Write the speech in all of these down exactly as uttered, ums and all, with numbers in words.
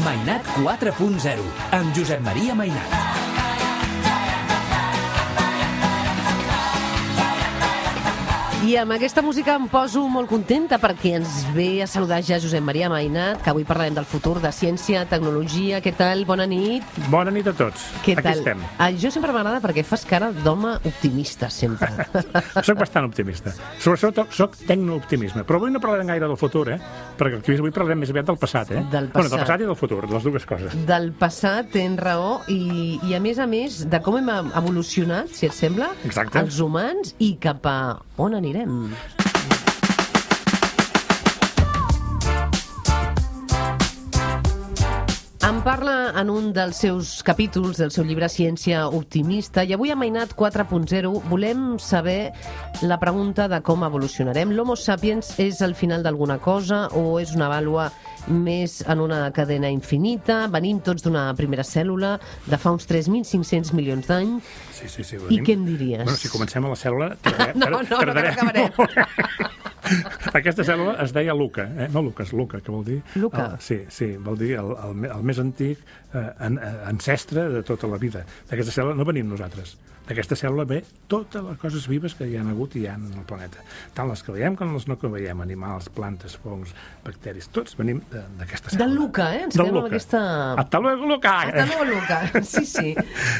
Mainat quatre punt zero, amb Josep Maria Mainat. I amb aquesta música em poso molt contenta perquè ens ve a saludar ja Josep Maria Mainat, que avui parlarem del futur, de ciència, tecnologia. Què tal? Bona nit. Bona nit a tots. Què Aquí tal? estem. Ah, jo sempre m'agrada perquè fas cara d'home optimista, sempre. Soc bastant optimista. Sobretot soc tecnooptimisme. Però avui no parlarem gaire del futur, eh? Perquè avui parlarem més aviat del passat, eh? Del Bueno, del passat. passat i del futur, les dues coses. Del passat, tens raó, i, i a més a més de com hem evolucionat, si et sembla, Exacte. els humans, i cap a on anirem. En parla en un dels seus capítols del seu llibre Ciència Optimista, i avui a Mainat quatre punt zero volem saber la pregunta de com evolucionarem. L'Homo sapiens és el final d'alguna cosa o és una vàlua més en una cadena infinita? Venim tots d'una primera cèl·lula de fa uns tres mil cinc-cents milions d'anys. Sí, sí, sí. I què en diries? Bueno, si comencem a la cèl·lula... Tardarem, No, no, no, no acabarem. Aquesta cèl·lula es deia Luca, eh? No Lucas, Luca, que vol dir... Luca. El, sí, sí, vol dir el, el, el més antic eh, an, ancestre de tota la vida. D'aquesta cèl·lula no venim nosaltres. D'aquesta cèl·lula ve totes les coses vives que hi ha hagut i hi ha en el planeta. Tant les que veiem com les no que veiem. Animals, plantes, fongs, bacteris, tots venim d'aquesta cèl·lula. Del Luca, eh? Ens Del quedem amb Luca. aquesta... Hasta luego, Luca! Hasta luego, Luca. Sí, sí.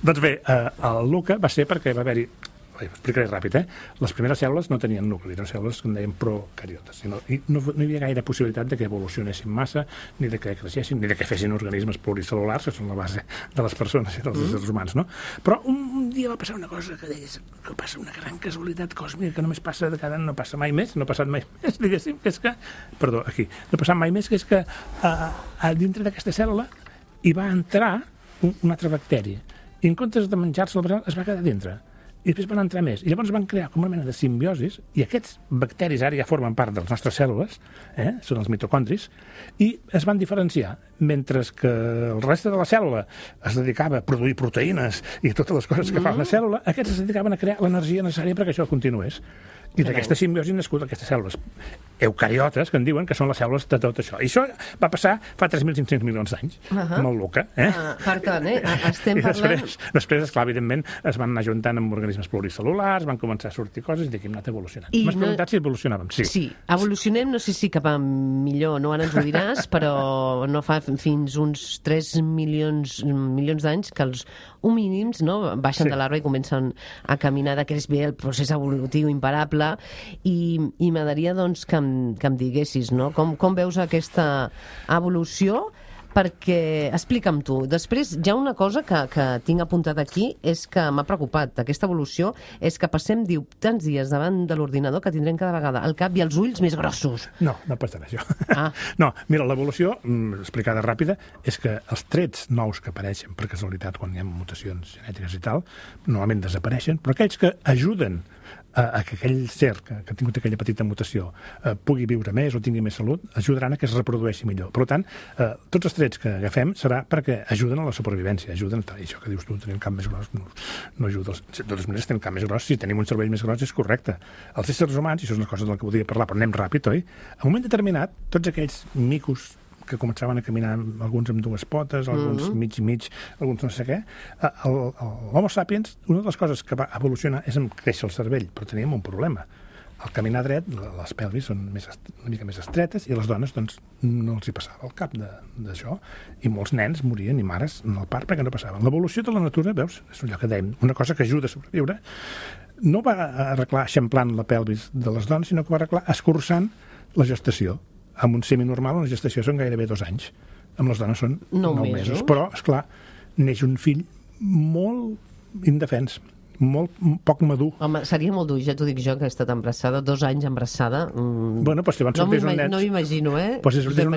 Doncs bé, eh, el Luca va ser perquè va haver-hi... Ho explicaré ràpid, eh? Les primeres cèl·lules no tenien nucli, eren cèl·lules que en deien procariotes. I no, i no, no hi havia gaire possibilitat de que evolucionessin massa, ni de que creixessin, ni de que fessin organismes pluricel·lulars, que són la base de les persones i dels mm. éssers humans, no? Però un, un dia va passar una cosa que deies que passa una gran casualitat còsmica que només passa de cada any, no passa mai més, no ha passat mai més, diguéssim, que és que... Perdó, aquí. No ha passat mai més, que és que a, a dintre d'aquesta cèl·lula hi va entrar un, un altre bacteri. I en comptes de menjar-se-la, es va quedar dintre. I després van entrar més. I llavors van crear com una mena de simbiosis, i aquests bacteris ara ja formen part de les nostres cèl·lules, eh? Són els mitocondris, i es van diferenciar. Mentre que el reste de la cèl·lula es dedicava a produir proteïnes i totes les coses que mm. fa una cèl·lula, aquests es dedicaven a crear l'energia necessària perquè això continués. I d'aquesta simbiosi han nascut aquestes cèl·lules eucariotes, que en diuen que són les cèl·lules de tot això. I això va passar fa tres mil cinc-cents milions d'anys, uh -huh. amb el Luca. Eh? Uh, per tant, eh? Estem I parlant... després, després, esclar, evidentment, es van anar juntant amb organismes pluricel·lulars, van començar a sortir coses i d'aquí hem anat evolucionant. M'has no... preguntat si evolucionàvem? Sí. Sí, evolucionem, no sé si cap a millor, no ara ens ho diràs, però no fa fins uns tres milions, milions d'anys que els homínims, no, baixen sí. de l'arbre i comencen a caminar, de què és bé el procés evolutiu imparable, i, i m'agradaria doncs, que, em, que em diguessis, no? Com, com veus aquesta evolució? Perquè, explica'm tu, després hi ha una cosa que, que tinc apuntat aquí, és que m'ha preocupat, aquesta evolució, és que passem, diu, tants dies davant de l'ordinador que tindrem cada vegada el cap i els ulls més grossos. No, no passarà això. Ah. No, mira, l'evolució, explicada ràpida, és que els trets nous que apareixen per casualitat quan hi ha mutacions genètiques i tal, normalment desapareixen, però aquells que ajuden a, a que aquell ser que, que ha tingut aquella petita mutació eh, pugui viure més o tingui més salut, ajudaran a que es reprodueixi millor. Per tant, eh, tots els trets que agafem serà perquè ajuden a la supervivència, ajuden a... I això que dius tu, tenir un cap més gros, no, no ajuda. Els, de totes maneres, tenir un cap més gros, si tenim un cervell més gros, és correcte. Els éssers humans, i això és una cosa de la que volia parlar, però anem ràpid, oi? A un moment determinat, tots aquells micos que començaven a caminar, alguns amb dues potes, alguns mm-hmm. mig i mig, alguns no sé què, l'Homo sapiens, una de les coses que va evolucionar és en créixer el cervell, però teníem un problema. Al caminar dret, les pelvis són més, una mica més estretes, i a les dones doncs, no els hi passava el cap d'això, i molts nens morien, i mares, en el part, perquè no passaven. L'evolució de la natura, veus, és allò que dèiem, una cosa que ajuda a sobreviure, no va arreglar eixamplant la pelvis de les dones, sinó que va arreglar escurçant la gestació. Amb un seminormal, una gestació són gairebé dos anys. Amb les dones són nou, nou mesos. mesos. Però, esclar, neix un fill molt indefens, molt poc madur. Home, seria molt dur, ja t'ho dic jo, que he estat embarassada, dos anys embarassada. Mm. Bueno, doncs si abans no sortís un nen... No m'imagino, eh? Pues si sortís un,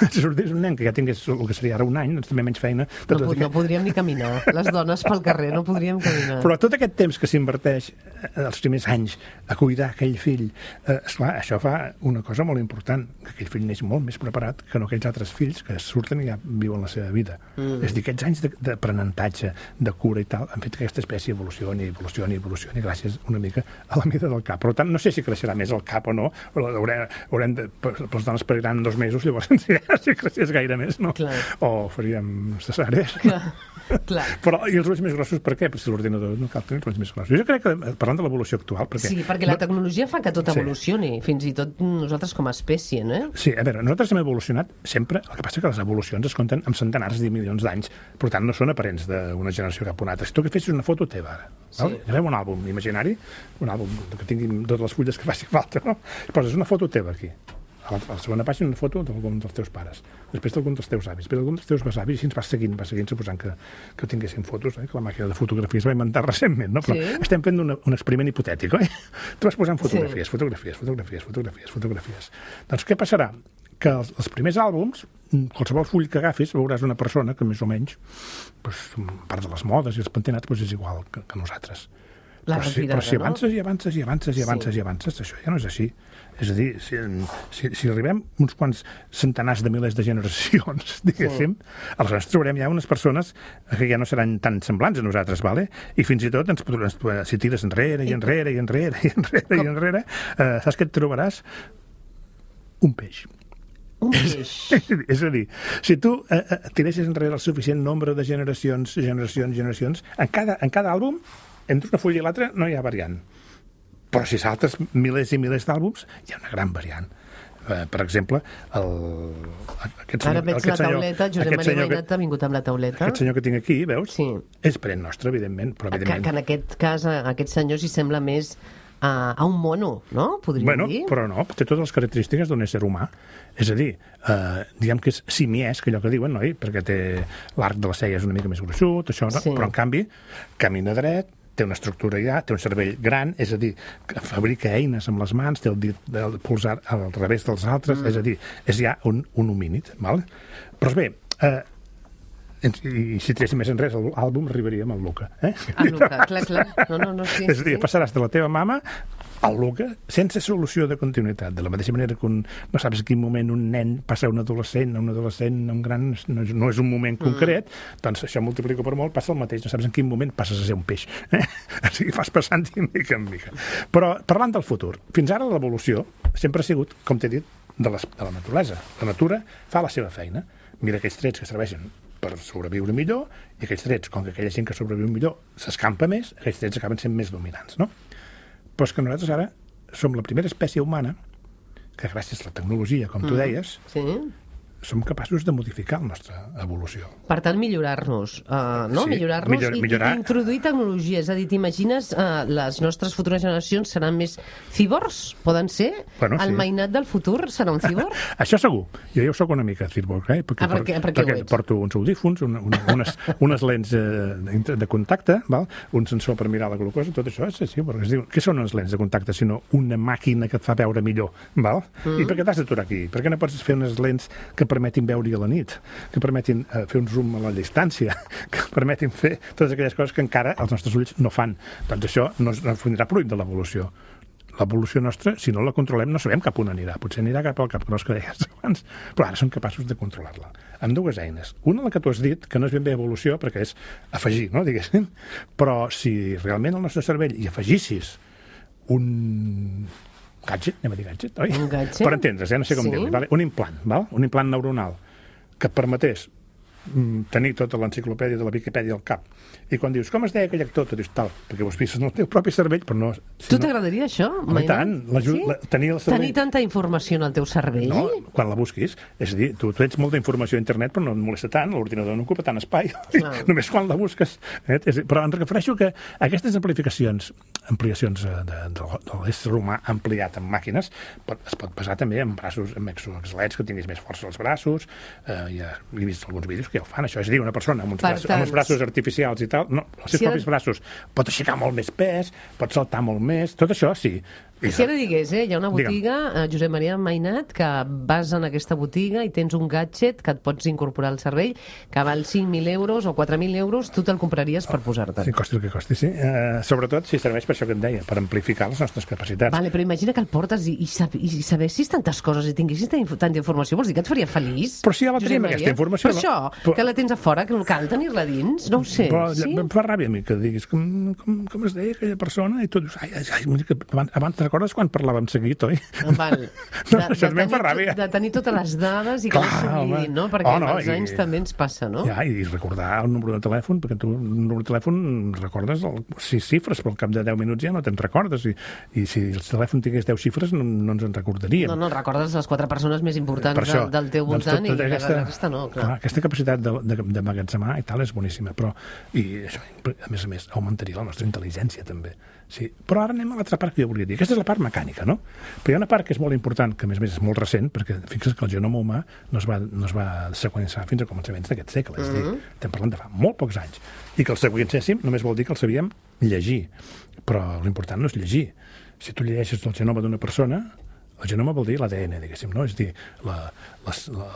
si sortís un nen que ja tingués el que seria ara un any, doncs també menys feina. No, no aquest... podríem ni caminar. Les dones pel carrer no podríem caminar. Però tot aquest temps que s'inverteix els primers anys a cuidar aquell fill, eh, esclar, això fa una cosa molt important, que aquell fill neix molt més preparat que no aquells altres fills que surten i ja viuen la seva vida. Mm. És a dir, aquests anys d'aprenentatge, de cura i tal, han fet que aquesta espècie evolucioni evolucioni, evolucioni, evolucioni, gràcies una mica a la mida del cap. Per tant, no sé si creixerà més el cap o no, però haurem, haurem de, les dones pariran dos mesos, llavors si, si creixés gaire més, no? Clar. O faríem cesàries. Clar. Clar. Però, i els ulls més grossos, per què? Perquè si l'ordinador no cal tenir els ulls més grossos. Jo crec que, parlant de l'evolució actual... Perquè, sí, perquè la tecnologia fa que tot evolucioni, sí. Fins i tot nosaltres com a espècie, no? Sí, a veure, nosaltres hem evolucionat sempre, el que passa que les evolucions es compten amb centenars de milions d'anys, per tant no són aparents d'una generació cap a una altra. Si tu que fessis una foto teva ara, sí. Agafem un àlbum imaginari, un àlbum que tingui totes les fulles que faci falta, no? I poses una foto teva aquí. A la segona pàgina una foto d'algun dels teus pares, després d'algun dels teus avis, després d'algun dels teus besavis, i així ens vas seguint, vas seguint, suposant que, que tinguessin fotos, eh? Que la màquina de fotografia es va inventar recentment, no? Però sí. Estem fent una, un experiment hipotètic, oi? Tu vas posant fotografies, sí. fotografies, fotografies, fotografies, fotografies. Doncs què passarà? Que els, els primers àlbums, qualsevol full que agafis, veuràs una persona que més o menys, doncs, a part de les modes i els pentinats, doncs és igual que, que nosaltres. La però, si, però si avances i avances i avances i avances sí. i avances, això ja no és així. És a dir, si, si, si arribem uns quants centenars de milers de generacions, diguéssim, sí. Aleshores trobarem ja unes persones que ja no seran tan semblants a nosaltres, vale? I fins i tot, ens, ens, si tires enrere i enrere i enrere i enrere i enrere, eh, saps què et trobaràs? Un peix. Un peix. És, és a dir, si tu eh, tiressis enrere el suficient nombre de generacions, generacions, generacions, en cada, en cada àlbum, entre una fulla i l'altra no hi ha variant. Però si saltes milers i milers d'àlbums, hi ha una gran variant. Eh, per exemple, el, aquest senyor... Ara veig aquest la tauleta, Josep Maria Mainat que... ha vingut amb la tauleta. Aquest senyor que tinc aquí, veus? Sí. És parent nostre, evidentment, però evidentment... Que, que en aquest cas, a aquest senyor s'hi sembla més a, a un mono, no? Podríem bueno, dir. Però no, té totes les característiques d'un ésser humà. És a dir, eh, diguem que és simiès, que allò que diuen, noi? Perquè té l'arc de la cella és una mica més gruixut, això, no? Sí. Però en canvi, camina dret, té una estructura ja, té un cervell gran, és a dir, que fabrica eines amb les mans, té el dit del pulsar al revés dels altres, mm. és a dir, és ja un, un homínid, val? Però bé, eh, i si tiréssim més enrere l'àlbum arribaríem al Luca, eh? Al Luca, clar, clar. No, no, no, sí, és a dir, sí. Passaràs de la teva mama al Luca sense solució de continuïtat. De la mateixa manera que un, no saps en quin moment un nen passa a un adolescent, a un adolescent, a un gran... No, no és un moment concret, mm. doncs això multiplica per molt, passa el mateix. No saps en quin moment passes a ser un peix. Eh? O sigui, fas passant de mica en mica. Però parlant del futur, fins ara l'evolució sempre ha sigut, com t'he dit, de, les, de la naturalesa. La natura fa la seva feina. Mira aquells trets que serveixen per sobreviure millor, i aquells trets, com que aquella gent que sobreviu millor s'escampa més, aquells trets acaben sent més dominants, no? Però és que nosaltres ara som la primera espècie humana que gràcies a la tecnologia, com tu deies, sí. som capaços de modificar la nostra evolució. Per tant, millorar-nos, uh, no? Sí, millorar-nos millor, i, millorar... i introduir tecnologia. És a dir, t'imagines uh, les nostres futures generacions seran més cíborgs? Poden ser? Bueno, el sí. Mainat del futur serà un cíborg? Això segur. Jo ja ho soc una mica cíborg, eh? Perquè, ah, per què, per què perquè porto uns audífons, una, una, unes, unes lents eh, de contacte, val? Un sensor per mirar la glucosa, tot això és cíborg. Es diu, què són unes lents de contacte sinó una màquina que et fa veure millor? Val? Mm. I per què t'has d'aturar aquí? Per què no pots fer unes lents que permetin veure-hi a la nit, que permetin uh, fer un zoom a la distància, que permetin fer totes aquelles coses que encara els nostres ulls no fan. Doncs això no, no vindrà fruit de l'evolució. L'evolució nostra, si no la controlem, no sabem cap on anirà. Potser anirà cap al cap gros que deies abans, però ara som capaços de controlar-la. Amb dues eines. Una, la que tu has dit, que no és ben bé evolució, perquè és afegir, no?, diguéssim. Però si realment al nostre cervell hi afegissis un... gadget, anem a dir gadget, oi? Un gadget? Per entendre's, eh? No sé com sí. dir-li. Vale? Un implant, val? Un implant neuronal que et permetés mm, tenir tota l'enciclopèdia de la Viquipèdia al cap. I quan dius, com es deia aquell actor? Tu dius, tal, perquè ho has vist en el teu propi cervell, però no... Si tu no... t'agradaria això? Home, tant, sí? la, tenir el cervell... Tenir tanta informació en el teu cervell? No, quan la busquis. És a dir, tu, tu ets molta informació a internet, però no et molesta tant, l'ordinador no ocupa tant espai. Només quan la busques. Eh? Però em refereixo que aquestes amplificacions, ampliacions de, de, de, de l'ésser humà ampliat en màquines, pot, es pot basar també en braços, en exoesquelets, que tinguis més força als braços. Eh, ja he vist alguns vídeos que ja ho fan, això. És a dir, una persona amb uns, braços, amb uns braços artificials i tal, no, els seus si propis el... braços pot aixecar molt més pes, pot saltar molt més, tot això sí, I si ara digués, eh, hi ha una Digue'm. botiga, eh, Josep Maria Mainat, que vas en aquesta botiga i tens un gadget que et pots incorporar al cervell, que val cinc mil euros o quatre mil euros, tu te'l compraries per posar-te. Sí, costi el que costi, sí. Uh, sobretot si serveix per això que et deia, per amplificar les nostres capacitats. Vale, però imagina que el portes i, i, sab i sabessis tantes coses i tinguessis tanta, tanta informació, vols dir que et faria feliç? Però si ja la Josep tenim, Maria? aquesta informació. Per això, però... que la tens a fora, que cal tenir-la dins, no ho sé. Però sí? em fa ràbia a mi que diguis com, com, com es deia aquella persona i tu dius, ai, ai, ai, mira que abans, abans te'n recordes quan parlàvem seguit, oi? Val. No, De, això de, també em fa tenir, ràbia. de tenir totes les dades i que Clar, no s'oblidin, home. no? Perquè Oh, no, amb els i- anys també ens passa, no? Ja, i recordar el número de telèfon, perquè tu el número de telèfon recordes el, sis xifres, però al cap de deu minuts ja no te'n recordes. I, i si el telèfon tingués deu xifres no, no ens en recordaríem. No, no, recordes les quatre persones més importants Per això, del, del teu doncs, voltant tot- tota i aquesta, la resta no, clar. clar, aquesta capacitat de, de, de magatzemar i tal és boníssima, però i això, a més a més augmentaria la nostra intel·ligència també. Sí. Però ara anem a l'altra part que jo volia dir. Aquesta és la part mecànica, no? Però hi ha una part que és molt important, que a més a més és molt recent, perquè fixa't que el genoma humà no es va, no es va seqüenciar fins a començaments d'aquest segle, és a dir, estem parlant de fa molt pocs anys, i que el seqüenciéssim només vol dir que el sabíem llegir, però l'important no és llegir. Si tu llegeixes el genoma d'una persona, el genoma vol dir l'A D N, diguéssim, no? És a dir, la, les, la,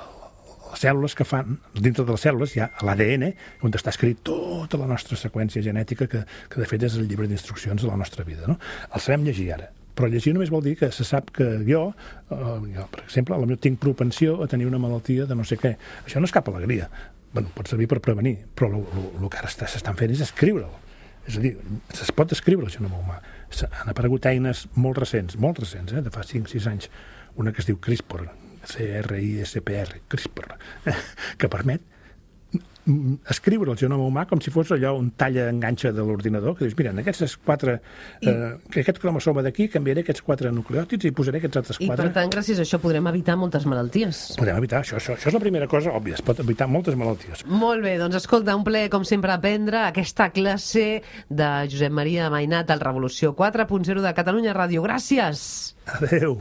les cèl·lules que fan, dintre de les cèl·lules hi ha l'A D N, on està escrit tota la nostra seqüència genètica, que, que de fet és el llibre d'instruccions de la nostra vida, no? El sabem llegir ara, però llegir només vol dir que se sap que jo, eh, jo per exemple, potser tinc propensió a tenir una malaltia de no sé què. Això no és cap alegria. Bueno, pot servir per prevenir, però el que ara s'estan fent és escriure'l. És a dir, es pot escriure el genoma humà. Han aparegut eines molt recents, molt recents, eh, de fa cinc sis anys, una que es diu CRISPR, C R I S P R, CRISPR, que permet escriure el genoma humà com si fos allò un talla enganxa de l'ordinador, que dius, mira, en aquests quatre, I... eh, aquest cromosoma d'aquí canviaré aquests quatre nucleòtids i posaré aquests altres I quatre. per tant, gràcies a això podrem evitar moltes malalties. Podem evitar això, això. Això és la primera cosa òbvia, es pot evitar moltes malalties. Molt bé, doncs escolta, un plaer, com sempre, aprendre aquesta classe de Josep Maria Mainat al Revolució quatre punt zero de Catalunya Ràdio. Gràcies! Adéu!